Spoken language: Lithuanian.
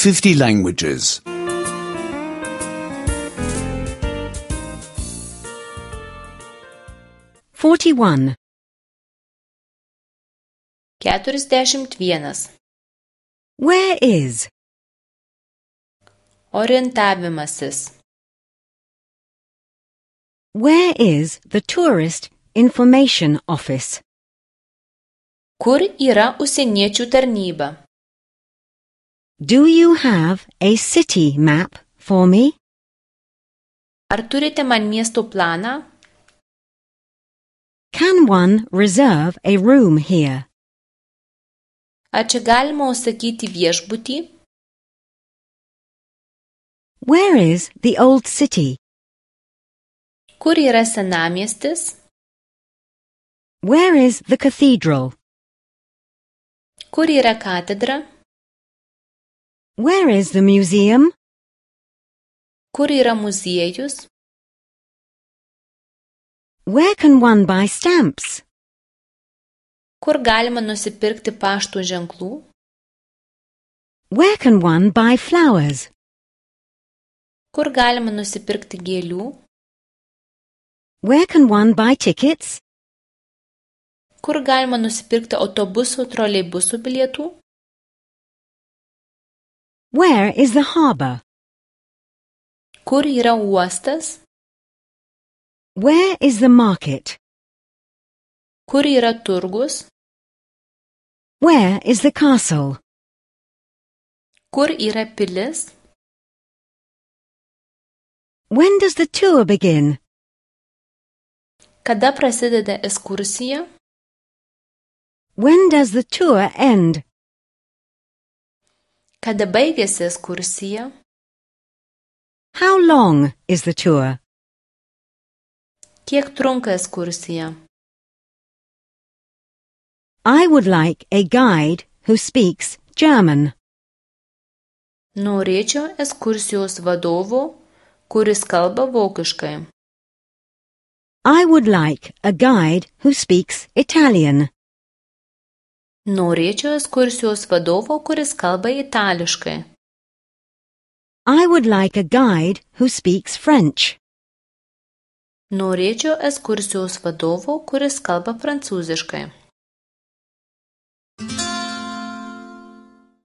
50 languages. 41. 41. Where is? Orientavimasis. Where is the Tourist Information Office? Kur yra užsieniečių tarnyba? Do you have a city map for me? Ar turite man miesto planą? Can one reserve a room here? Ar čia galima užsakyti viešbutį? Where is the old city? Kur yra senamiestis? Where is the cathedral? Kur yra katedra? Where is the museum? Kur yra muziejus? Where can one buy stamps? Kur galima nusipirkti pašto ženklų? Where can one buy flowers? Kur galima nusipirkti gėlių? Where can one buy tickets? Kur galima nusipirkti autobusų, troleibusų bilietų? Where is the harbor? Kur yra uostas? Where is the market? Kur yra turgus? Where is the castle? Kur yra pilis? When does the tour begin? Kada prasideda ekskursija? When does the tour end? Kada baigiasi ekskursija? How long is the tour? Kiek trunka ekskursija? I would like a guide who speaks German. Norėčiau ekskursijos vadovo, kuris kalba vokiškai. I would like a guide who speaks Italian. Norėčiau ekskursijos vadovo, kuris kalba itališkai. I would like a guide who speaks French. Norėčiau ekskursijos vadovo, kuris kalba prancūziškai.